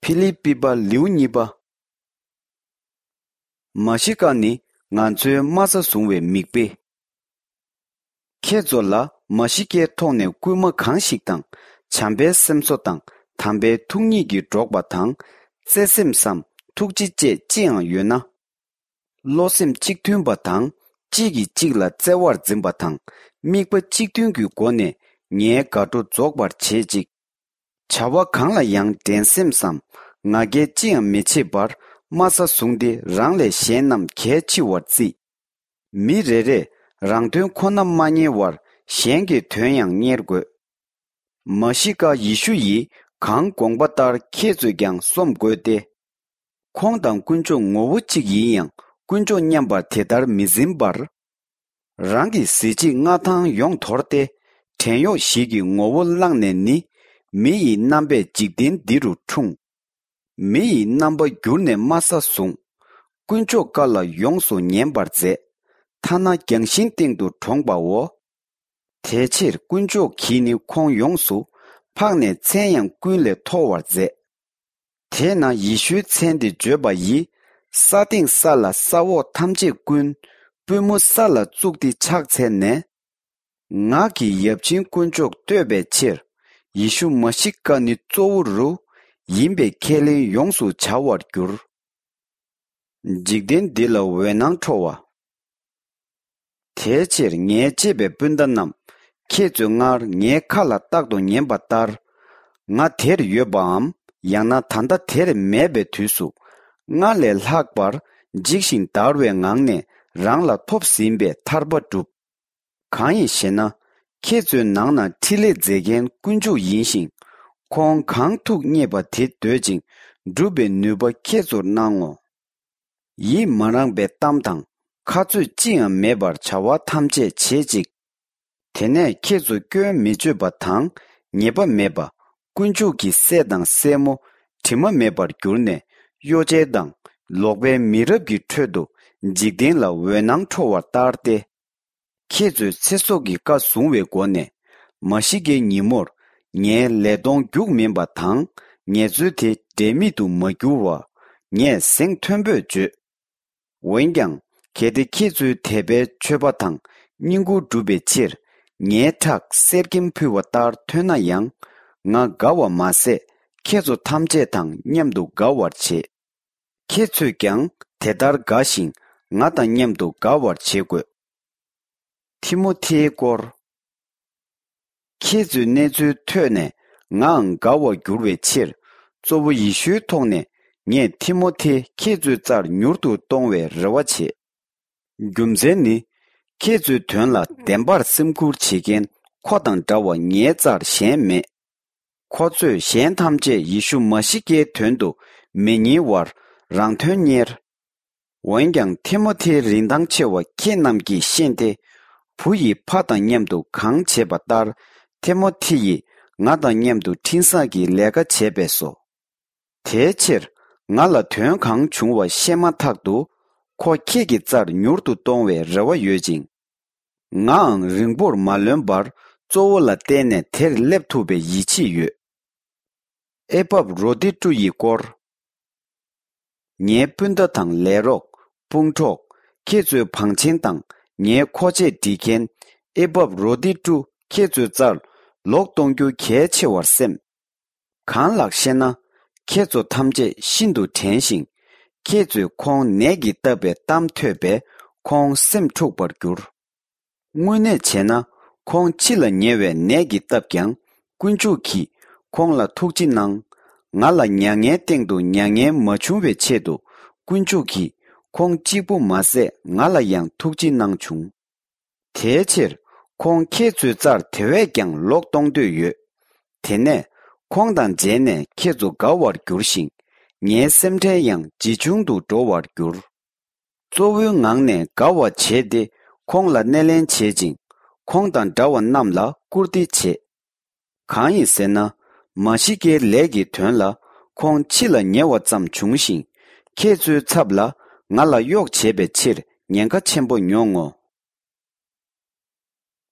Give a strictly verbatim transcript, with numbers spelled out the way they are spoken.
ཕི་ལི་པི་པ་ལེའུ་གཉིས་པ། མ་ཤི་ཀ་ནི་ང་ཚོའི་དམའ་ས་བཟུང་བའི་མིག་དཔེ། ཁྱེད་ཚོ་ལ་མ་ཤི་ཀའི་ཐོག་ནས་སྐུལ་མ་གང་ཞིག་དང་། བྱམས་པའི་སེམས་གསོ་དང་། དམ་པའི་ཐུགས་ཉིད་ཀྱིས་འགྲོགས་པ་དང་། བརྩེ་སེམས་སམ། ཐུགས་རྗེ་བཅས་ཅི་ཡང་ཡོད་ན། བློ་སེམས་གཅིག་མཐུན་པ་དང་། གཅིག་གིས་གཅིག་ལ་བརྩེ་བར་འཛིན་པ་དང་། དམིགས་པ་གཅིག་མཐུན་གྱི་སྒོ་ནས་ངའི་དགའ་སྤྲོ་རྫོགས་པར་བྱེད་ཅིག། བྱ་བ་གང་ལ་ཡང་འགྲན་སེམས་སམ། ང་རྒྱལ་ཅི་ཡང་མི་བྱེད་པར། དམའ་ས་བཟུང་སྟེ་རང་ལས་གཞན་རྣམས་གལ་ཆེ་བར་བརྩི། མི་རེ་རེས་རང་དོན་ཁོ་ན་མ་གཉེར་བར། གཞན་གྱི་དོན་ཡང་གཉེར་དགོས། མ་ཤི་ཀ་ཡེ་ཤུ་ཡིས་གང་དགོངས་པ་ལྟར་ཁྱེད་ཚོས་ཀྱང་སོམས་དགོས་ཏེ། ཁོང་དང་དཀོན་མཆོག་ངོ་བོ་གཅིག་ཡིན་ཡང་། དཀོན་མཆོག་མཉམ་པར་དེ་ལྟར་མི་འཛིན་པར། རང་གི་གཟི་བརྗིད་མངའ་ཐང་ཡོངས་དོར་ཏེ། བྲན་གཡོག་ཞིག་གི་ངོ་བོ་བླངས་ནས་ནི། མི་ཡི་རྣམ་པས་འཇིག་རྟེན་འདི་རུ་འཁྲུངས། མི་ཡི་རྣམ་པ་བསྒྱུར་ནས་དམའ་ས་བཟུང་། དཀོན་མཆོག་བཀའ་ལ་ཡོངས་སུ་ཉན་པར་མཛད། ཐ་ན་རྒྱང་ཤིང་སྟེང་དུ་གྲོངས་པའོ། དེ་ཕྱིར་དཀོན་མཆོག་གིས་ནི་ཁོང་ཡོངས་སུ་འཕགས་ནས་མཚན་ཡང་ཀུན་ལས་མཐོ་བར་མཛད། དེས་ན་ཡེ་ཤུའི་མཚན་དེ་བརྗོད་པ་ཡིས། ས་སྟེང་ས་ལ་ས་འོག་ཐམས་ཅད་ཀུན། པུས་མོ་ས་ལ་བཙུགས་ཏེ་ཕྱག་འཚལ་ནས། ངག་གི་ཡབ་ཆེན་དཀོན་མཆོག་བསྟོད་པའི་ཕྱིར། ཡེ་ཤུ་མ་ཤི་ཀ་ནི་གཙོ་བོ་རུ། ཡིན་པས་ཁས་ལེན་ཡོངས་སུ་བྱ་བར་འགྱུར། འཇིག་རྟེན་འདི་ལ་འོད་སྣང་འཕྲོ་བ། དེའི་ཕྱིར་ངའི་གཅེས་པའི་སྤུན་ཟླ་རྣམས། ཁྱེད་ཚོས་སྔར་ངའི་ཁ་ལ་རྟག་ཏུ་ཉན་པ་ལྟར། ང་དེར་ཡོད་པའམ། ཡང་ན་ད་ལྟ་དེར་མེད་པའི་དུས་སུ། སྔར་ལས་ལྷག་པར་འཇིགས་ཤིང་འདར་བའི་ངང་ནས་རང་ལ་ཐོབ་ཟིན་པའི་ཐར་པ་བསྒྲུབ། གང་ཡིན་ཞེ་ན། ཁྱེད་ཚོའི་ནང་ན་འཕྲིན་ལས་མཛད་མཁན་དཀོན་མཆོག་ཡིན་ཞིང་། ཁོང་གང་ཐུགས་མཉེས་པ་དེ་འདོད་ཅིང་སྒྲུབ་པའི་ནུས་པ་ཁྱེད་ཚོར་གནང་ངོ་། ཡིད་མ་རངས་པའི་གཏམ་དང་ཁ་རྩོད་ཅི་ཡང་མེད་པར་བྱ་བ་ཐམས་ཅད་བྱེད་ཅིག། དེ་ནས་ཁྱེད་ཚོ་སྐྱོན་མི་བརྗོད་པ་དང་ཉེས་པ་མེད་པ། དཀོན་མཆོག་གི་སྲས་དང་སྲས་མོ་དྲི་མ་མེད་པར་གྱུར་ནས། གཡོ་ཅན་དང་ལོག་པའི་མི་རབས་ཀྱི་ཁྲོད་དུ་འཇིག་རྟེན་ལ་འོད་སྣང་འཕྲོ་བར་ལྟར་ཏེ། ཁྱེད་ཚོས་ཚེ་སྲོག་གི་བཀའ་བཟུང་བའི་སྒོ་ནས། མ་ཤི་ཀའི་ཉིན་མོར་ངའི་ལས་གཏོང་རྒྱུགས་མིན་པ་དང་། ངལ་རྩོལ་དེ་འབྲས་མེད་དུ་མ་འགྱུར་བ། ངས་གཟེངས་མཐོན་པོས་བརྗོད། འོན་ཀྱང་། གལ་ཏེ་ཁྱེད་ཚོའི་དད་པའི་མཆོད་པ་དང་བསྙེན་བཀུར་བསྒྲུབ་པའི་ཕྱིར། ངའི་ཁྲག་གསེར་སྐྱེམས་ཕུལ་བ་ལྟར་ཐོན་ན་ཡང་། ང་དགའ་བ་མ་ཟད། ཁྱེད་ཚོ་ཐམས་ཅད་དང་མཉམ་དུ་དགའ་བར་བྱེད། ཁྱེད་ཚོས་ཀྱང་དེ་ལྟར་དགའ་ཞིང་། ང་དང་མཉམ་དུ་དགའ་བར་བྱེད་དགོས། ཐི་མོ་ཐེའི་སྐོར། ཁྱེད་ཚོའི་གནས་ཚུལ་ཐོས་ནས་ངའང་དགའ་བར་འགྱུར་བའི་ཕྱིར། གཙོ་བོ་ཡེ་ཤུའི་ཐོག་ནས་ངས་ཐི་མོ་ཐེ་ཁྱེད་ཚོའི་རྩར་མྱུར་དུ་གཏོང་བའི་རེ་བ་བྱེད། རྒྱུ་མཚན་ནི། ཁྱེད་ཚོའི་དོན་ལ་བདེན་པར་སེམས་ཁུར་བྱེད་མཁན་ཁོ་དང་འདྲ་བ་ངའི་རྩར་གཞན་མེད། ཁོ་ཚོས་གཞན་ཐམས་ཅད་ཡེ་ཤུ་མ་ཤི་ཀའི་དོན་དུ་མི་ཉེ་བར་རང་དོན་གཉེར། འོན་ཀྱང་ཐི་མོ་ཐེའི་རིན་ཐང་ཆེ་བ་ཁྱེད་རྣམས་ཀྱིས་ཤེས་ཏེ། བུ་ཡིས་ཕ་དང་མཉམ་དུ་གང་བྱེད་པ་ལྟར། ཐི་མོ་ཐེ་ཡིས་ང་དང་མཉམ་དུ་འཕྲིན་བཟང་གི་ལས་ཀ་བྱས་པས་སོ། དེའི་ཕྱིར། ང་ལ་དོན་གང་བྱུང་བ་ཤེས་མ་ཐག་ཏུ། ཁོ་ཁྱེད་ཀྱི་རྩར་མྱུར་དུ་གཏོང་བའི་རེ་བ་ཡོད་ཅིང་། ངའང་རིང་པོར་མ་ལོན་པར་གཙོ་བོ་ལ་བརྟེན་ནས་དེར་སླེབས་ཐུབ་པའི་ཡིད་ཆེས་ཡོད། ཨེ་པབ་རོ་ཏི་ཀྲུ་ཡི་སྐོར། ངའི་སྤུན་ཟླ་དང་ལས་རོགས། དཔུང་གྲོགས། ཁྱེད་ཚོའི་བང་ཆེན་དང་ངའི་མཁོ་ཆས་སྒྲིག་མཁན་ཨེ་པབ་རོ་ཏི་ཀྲུ་ཁྱེད་ཚོའི་རྩར་ལོག་གཏོང་རྒྱུ་གལ་ཆེ་བར་སེམས། གང་ལགས་ཤེ་ན། ཁྱེད་ཚོ་ཐམས་ཅད་ཤིན་ཏུ་དྲན་ཞིང་། ཁྱེད་ཚོས་ཁོང་ནད་ཀྱིས་བཏབ་པའི་གཏམ་ཐོས་པས་ཁོང་སེམས་འཁྲུགས་པར་གྱུར། དངོས་གནས་བྱས་ན། ཁོང་འཆི་ལ་ཉེ་བའི་ནད་ཀྱིས་བཏབ་ཀྱང་། དཀོན་མཆོག་གིས་ཁོང་ལ་ཐུགས་རྗེ་གནང་། ང་ལ་མྱ་ངན་སྟེང་དུ་མྱ་ངན་མ་བྱུང་བའི་ཆེད་དུ། དཀོན་མཆོག་གིས་ཁོང་གཅིག་པུ་མ་ཟད་ང་ལ་ཡང་ཐུགས་རྗེ་གནང་བྱུང་། དེའི་ཕྱིར། ཁོང་ཁྱེད་ཚོའི་རྩར་དེ་བས་ཀྱང་ལོག་གཏོང་འདོད་ཡོད། དེ་ནས། ཁོང་དང་མཇལ་ནས་ཁྱེད་ཚོ་དགའ་བར་འགྱུར་ཞིང་། ངའི་སེམས་ཁྲལ་ཡང་ཇེ་ཆུང་དུ་འགྲོ་བར་འགྱུར། གཙོ་བོའི་ངང་ནས་དགའ་བ་བྱས་ཏེ། ཁོང་ལ་སྣེ་ལེན་བྱེད་ཅིང་། ཁོང་དང་འདྲ་བ་རྣམས་ལ་བཀུར་སྟི་བྱེད། གང་ཡིན་ཟེར་ན། མ་ཤི་ཀའི་ལས་ཀྱི་དོན་ལ། ཁོང་འཆི་ལ་ཉེ་བ་ཙམ་བྱུང་ཞིང་། ཁྱེད་ཚོའི་ཚབ་ལ། ང་ལ་གཡོག་བྱེད་པའི་ཕྱིར་ཉེན་ཁ་ཆེན་པོ་མྱོང་ངོ་།